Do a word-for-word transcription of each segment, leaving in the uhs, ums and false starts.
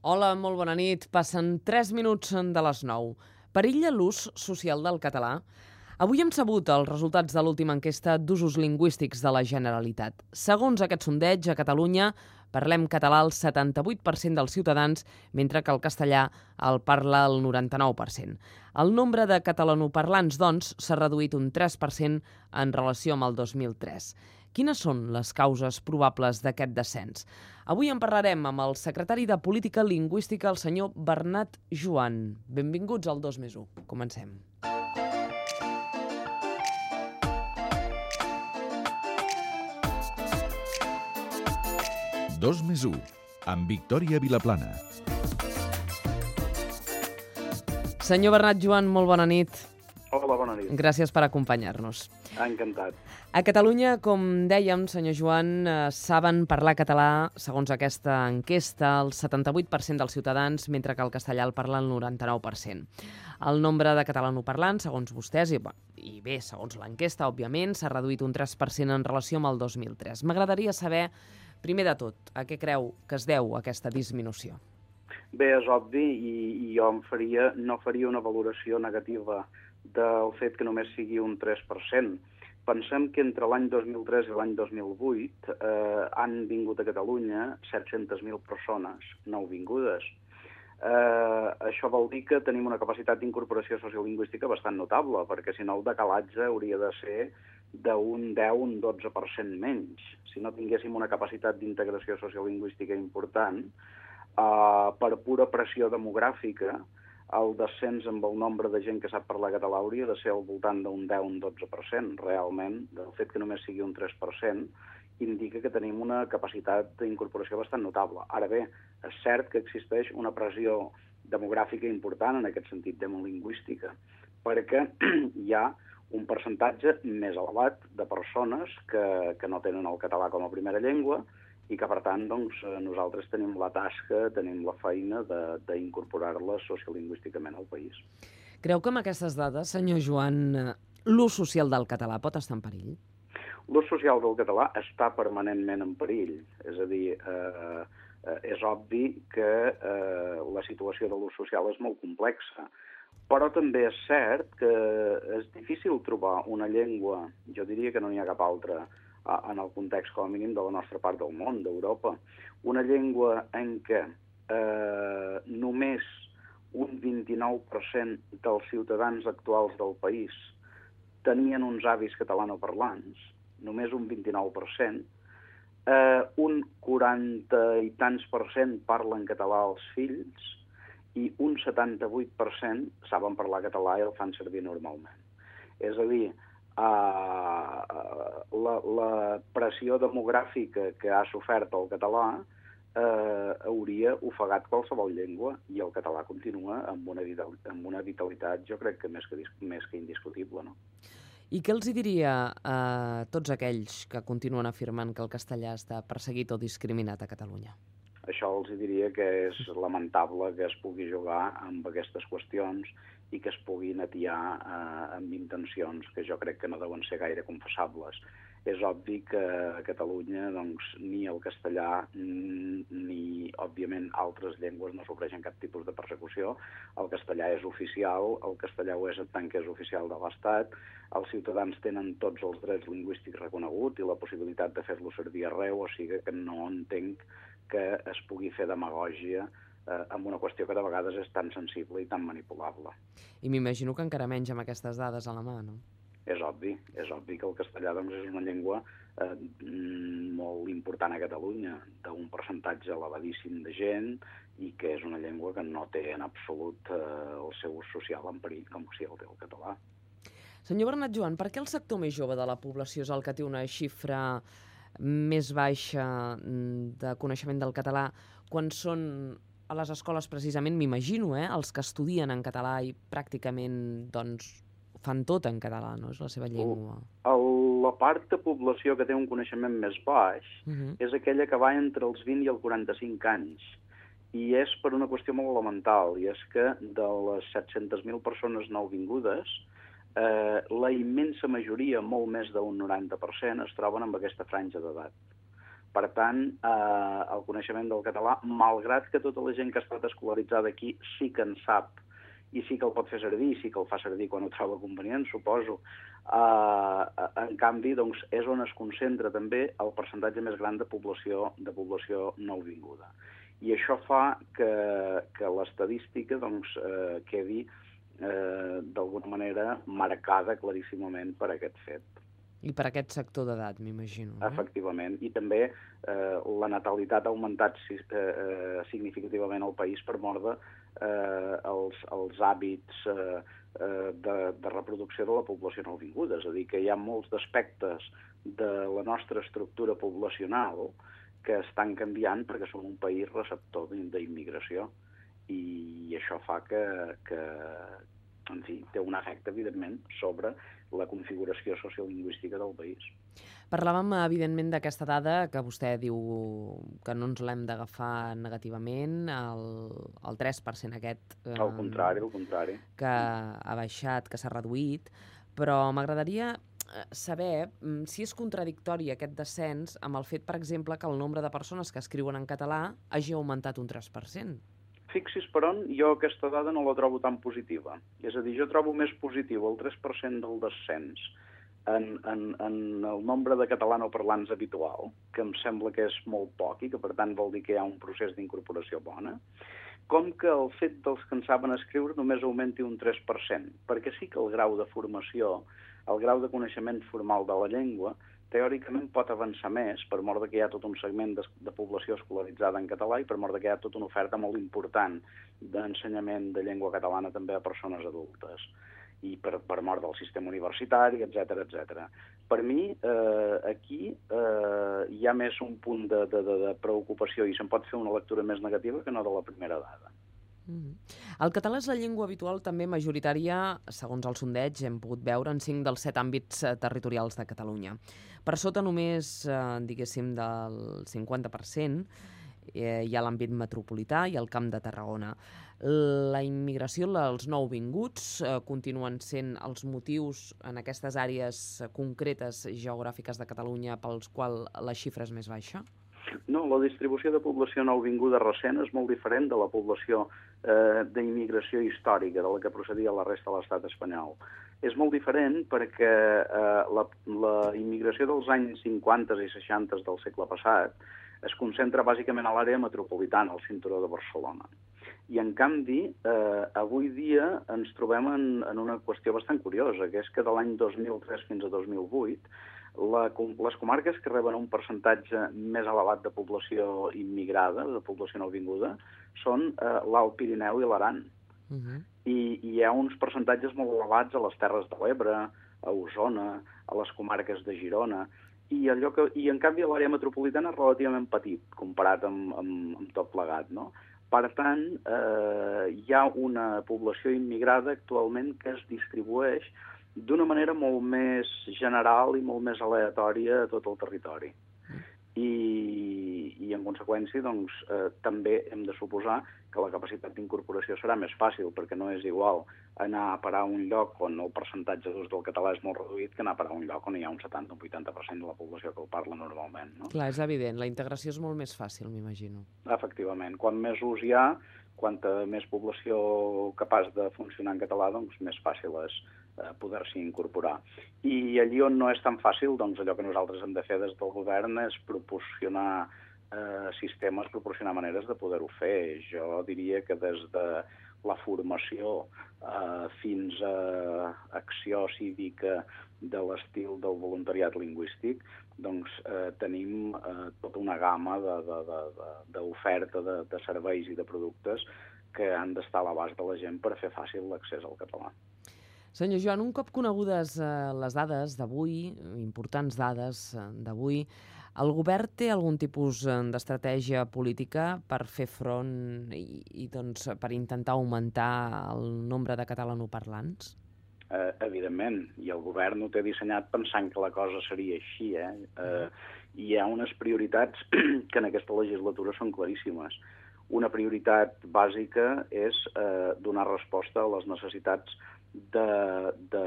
Hola, molt bona nit. Passen tres minuts de les nou. Perilla l'ús social del català? Avui hem sabut els resultats de l'última enquesta d'usos lingüístics de la Generalitat. Segons aquest sondeig, a Catalunya parlem català el setanta-vuit per cent dels ciutadans, mentre que el castellà el parla el noranta-nou per cent. El nombre de catalanoparlants, doncs, s'ha reduït un tres per cent en relació amb el dos mil tres. Quines són les causes probables d'aquest descens? Avui en parlarem amb el secretari de Política Lingüística, el senyor Bernat Joan. Benvinguts al dos més u. Comencem. dos més u, amb Victòria Vilaplana. Senyor Bernat Joan, molt bona nit. Hola, bona nit. Gràcies per acompanyar-nos. Encantat. A Catalunya, com dèiem, senyor Joan, eh, saben parlar català, segons aquesta enquesta, el setanta-vuit per cent dels ciutadans, mentre que el castellà el parla el noranta-nou per cent. El nombre de catalanoparlants, segons vostès, i, i bé, segons l'enquesta, òbviament, s'ha reduït un tres per cent en relació amb el dos mil tres. M'agradaria saber, primer de tot, a què creu que es deu aquesta disminució? Bé, és obvi, i, i jo em faria, no faria una valoració negativa del fet que només sigui un tres per cent. Pensem que entre l'any dos mil tres i l'any dos mil vuit eh, han vingut a Catalunya set-centes mil persones nouvingudes. Eh, això vol dir que tenim una capacitat d'incorporació sociolingüística bastant notable, perquè si no el decalatge hauria de ser d'un deu, un dotze per cent menys. Si no tinguéssim una capacitat d'integració sociolingüística important, eh, per pura pressió demogràfica, el descens amb el nombre de gent que sap parlar català hauria de ser al voltant d'un deu, un dotze per cent. Realment, el fet que només sigui un tres per cent indica que tenim una capacitat d'incorporació bastant notable. Ara bé, és cert que existeix una pressió demogràfica important, en aquest sentit demolingüística, perquè hi ha un percentatge més elevat de persones que, que no tenen el català com a primera llengua i que, per tant, doncs, nosaltres tenim la tasca, tenim la feina d'incorporar-les sociolingüísticament al país. Creu que amb aquestes dades, senyor Joan, l'ús social del català pot estar en perill? L'ús social del català està permanentment en perill. És a dir, eh, és obvi que eh, la situació de l'ús social és molt complexa, però també és cert que és difícil trobar una llengua, jo diria que no n'hi ha cap altra, en el context, com a mínim, de la nostra part del món, d'Europa, una llengua en què eh, només un vint-i-nou per cent dels ciutadans actuals del país tenien uns avis catalanoparlants, només un vint-i-nou per cent, eh, un quaranta i tants per cent parlen català als fills i un setanta-vuit per cent saben parlar català i el fan servir normalment. És a dir, Uh, la, la pressió demogràfica que ha sofert el català uh, hauria ofegat qualsevol llengua i el català continua amb una, amb una vitalitat, jo crec que més que, més que indiscutible, no? I què els hi diria a tots aquells que continuen afirmant que el castellà està perseguit o discriminat a Catalunya? Això els diria que és lamentable que es pugui jugar amb aquestes qüestions i que es puguin atiar eh, amb intencions que jo crec que no deuen ser gaire confessables. És obvi que a Catalunya doncs, ni el castellà ni, òbviament, altres llengües no sofreixen cap tipus de persecució. El castellà és oficial, el castellà ho és en tant que és oficial de l'Estat, els ciutadans tenen tots els drets lingüístics reconeguts i la possibilitat de fer-lo servir arreu, o sigui que no entenc que es pugui fer demagògia eh, amb una qüestió que de vegades és tan sensible i tan manipulable. I m'imagino que encara menys amb aquestes dades a la mà, no? És obvi, és obvi que el castellà doncs, és una llengua eh, molt important a Catalunya, d'un percentatge elevadíssim de gent i que és una llengua que no té en absolut eh, el seu ús social en perill com si el té el català. Senyor Bernat Joan, per què el sector més jove de la població és el que té una xifra més baixa de coneixement del català quan són a les escoles precisament, m'imagino, eh, els que estudien en català i pràcticament doncs, fan tot en català, no? És la seva llengua. El, la part de població que té un coneixement més baix uh -huh. és aquella que va entre els vint i els quaranta-cinc anys. I és per una qüestió molt elemental, i és que de les set-centes mil persones nouvingudes, eh, la immensa majoria, molt més d'un noranta per cent, es troben en aquesta franja d'edat. Per tant, eh, el coneixement del català, malgrat que tota la gent que ha estat escolaritzada aquí sí que en sap i sí que el pot fer servir, sí que el fa servir quan ho troba convenient, suposo, eh, en canvi, doncs, és on es concentra també el percentatge més gran de població, de població nouvinguda. I això fa que, que l'estadística doncs, eh, quedi eh, d'alguna manera marcada claríssimament per aquest fet. I per aquest sector d'edat, m'imagino. No? Efectivament. I també eh, la natalitat ha augmentat eh, significativament al país per mort de eh, els, els hàbits eh, de, de reproducció de la població nouvinguda. És a dir, que hi ha molts aspectes de la nostra estructura poblacional que estan canviant perquè som un país receptor d'immigració. I això fa que, que en fi, té un efecte, evidentment, sobre la configuració sociolingüística del país. Parlàvem, evidentment, d'aquesta dada que vostè diu que no ens l'hem d'agafar negativament, el, el tres per cent aquest... Eh, al contrari, al contrari. Que ha baixat, que s'ha reduït, però m'agradaria saber si és contradictori aquest descens amb el fet, per exemple, que el nombre de persones que escriuen en català hagi augmentat un tres per cent. Fixi's per on, jo aquesta dada no la trobo tan positiva. És a dir, jo trobo més positiu el tres per cent del descens en, en, en el nombre de catalanoparlants habitual, que em sembla que és molt poc i que, per tant, vol dir que hi ha un procés d'incorporació bona, com que el fet dels que en saben escriure només augmenti un tres per cent, perquè sí que el grau de formació, el grau de coneixement formal de la llengua, teòricament pot avançar més per mort que hi ha tot un segment de, de població escolaritzada en català i per mort que hi ha tota una oferta molt important d'ensenyament de llengua catalana també a persones adultes i per, per mort del sistema universitari, etcètera, etcètera. Per mi, eh, aquí eh, hi ha més un punt de, de, de preocupació i se'n pot fer una lectura més negativa que no de la primera dada. El català és la llengua habitual també majoritària, segons el sondeig, hem pogut veure en cinc dels set àmbits territorials de Catalunya. Per sota només, eh, diguéssim, del cinquanta per cent eh, hi ha l'àmbit metropolità i el Camp de Tarragona. La immigració, els nouvinguts, eh, continuen sent els motius en aquestes àrees concretes geogràfiques de Catalunya pels quals la xifra és més baixa? No, la distribució de població nouvinguda recent és molt diferent de la població eh, d'immigració històrica, de la que procedia la resta de l'estat espanyol. És molt diferent perquè eh, la, la immigració dels anys cinquanta i seixanta del segle passat es concentra bàsicament a l'àrea metropolitana, al cinturó de Barcelona. I, en canvi, eh, avui dia ens trobem en, en una qüestió bastant curiosa, que és que de l'any dos mil tres fins a dos mil vuit La, les comarques que reben un percentatge més elevat de població immigrada, de població nouvinguda, són eh, l'Alt Pirineu i l'Aran. Uh -huh. I, I hi ha uns percentatges molt elevats a les Terres de l'Ebre, a Osona, a les comarques de Girona, i, allò que, i en canvi l'àrea metropolitana és relativament petit, comparat amb, amb, amb tot plegat, no? Per tant, eh, hi ha una població immigrada actualment que es distribueix d'una manera molt més general i molt més aleatòria a tot el territori. I, i en conseqüència, doncs, eh, també hem de suposar que la capacitat d'incorporació serà més fàcil, perquè no és igual anar a parar a un lloc on el percentatge d'ús del català és molt reduït que anar a parar a un lloc on hi ha un setanta o un vuitanta per cent de la població que el parla normalment. No? Clar, és evident. La integració és molt més fàcil, m'imagino. Efectivament. Quan més ús hi ha, quanta més població capaç de funcionar en català, doncs més fàcil és eh, poder-s'hi incorporar. I allí on no és tan fàcil, doncs allò que nosaltres hem de fer des del govern és proporcionar eh, sistemes, proporcionar maneres de poder-ho fer. Jo diria que des de la formació eh, fins a acció cívica de l'estil del voluntariat lingüístic, doncs eh, tenim eh, tota una gamma d'oferta de, de, de, de serveis i de productes que han d'estar a l'abast de la gent per fer fàcil l'accés al català. Senyor Joan, un cop conegudes eh, les dades d'avui, importants dades eh, d'avui, el govern té algun tipus d'estratègia política per fer front i, i doncs, per intentar augmentar el nombre de catalanoparlants? Eh, evidentment, i el govern ho té dissenyat pensant que la cosa seria així. Eh? Eh, hi ha unes prioritats que en aquesta legislatura són claríssimes. una prioritat bàsica és eh, donar resposta a les necessitats de, de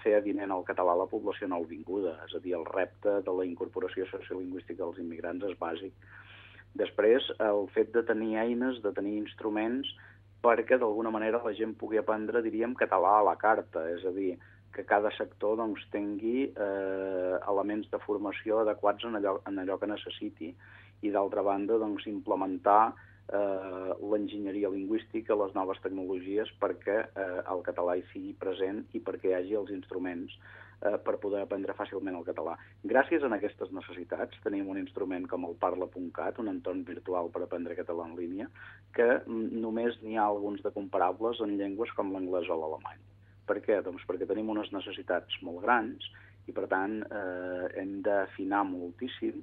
fer avinent el català a la població nouvinguda. És a dir, el repte de la incorporació sociolingüística dels immigrants és bàsic. Després, el fet de tenir eines, de tenir instruments, perquè d'alguna manera la gent pugui aprendre, diríem, català a la carta, és a dir, que cada sector doncs, tingui eh, elements de formació adequats en allò, en allò que necessiti. I d'altra banda, doncs, implementar eh, l'enginyeria lingüística, les noves tecnologies, perquè eh, el català hi sigui present i perquè hi hagi els instruments eh, per poder aprendre fàcilment el català. Gràcies a aquestes necessitats tenim un instrument com el parla punt cat, un entorn virtual per aprendre català en línia, que només n'hi ha alguns de comparables en llengües com l'anglès o l'alemany. Per què? Doncs perquè tenim unes necessitats molt grans i, per tant, eh, hem d'afinar moltíssim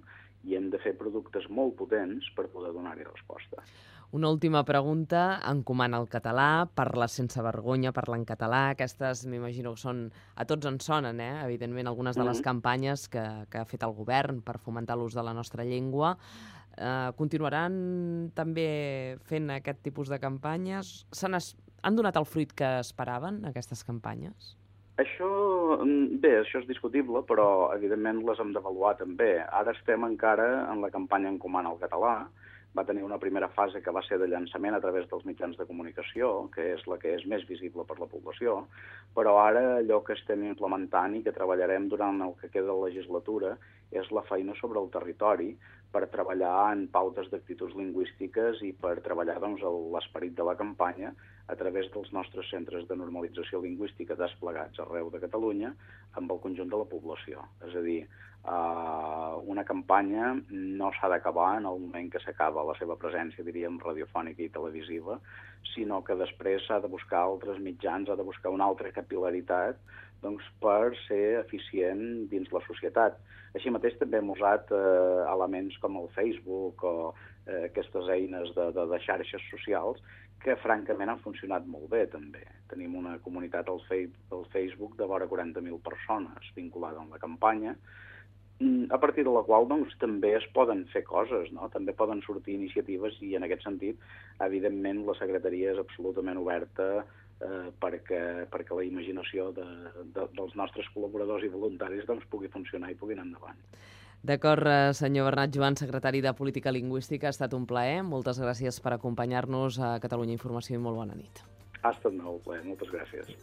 i hem de fer productes molt potents per poder donar-hi resposta. Una última pregunta. Encomana el català, parla sense vergonya, parla en català. Aquestes, m'imagino que són... A tots ens sonen, eh? Evidentment, algunes de les campanyes que, que ha fet el govern per fomentar l'ús de la nostra llengua. Eh, continuaran també fent aquest tipus de campanyes? Se n'es... Han donat el fruit que esperaven, aquestes campanyes? Això, bé, això és discutible, però evidentment les hem d'avaluar també. Ara estem encara en la campanya Encomana el català. Va tenir una primera fase que va ser de llançament a través dels mitjans de comunicació, que és la que és més visible per la població, però ara allò que estem implementant i que treballarem durant el que queda de la legislatura és la feina sobre el territori per treballar en pautes d'actituds lingüístiques i per treballar doncs, l'esperit de la campanya a través dels nostres centres de normalització lingüística desplegats arreu de Catalunya amb el conjunt de la població. És a dir, Uh, una campanya no s'ha d'acabar en el moment que s'acaba la seva presència, diríem, radiofònica i televisiva, sinó que després s'ha de buscar altres mitjans, ha de buscar una altra capil·laritat doncs, per ser eficient dins la societat. Així mateix també hem usat uh, elements com el Facebook o uh, aquestes eines de, de, de xarxes socials que francament han funcionat molt bé també. Tenim una comunitat al, fei al Facebook de vora quaranta mil persones vinculada amb la campanya, a partir de la qual doncs, també es poden fer coses, no? També poden sortir iniciatives i en aquest sentit, evidentment, la secretaria és absolutament oberta eh, perquè, perquè la imaginació de, de, dels nostres col·laboradors i voluntaris doncs, pugui funcionar i pugui anar endavant. D'acord, senyor Bernat Joan, secretari de Política Lingüística, ha estat un plaer. Moltes gràcies per acompanyar-nos a Catalunya Informació i molt bona nit. Ha estat molt plaer, moltes gràcies.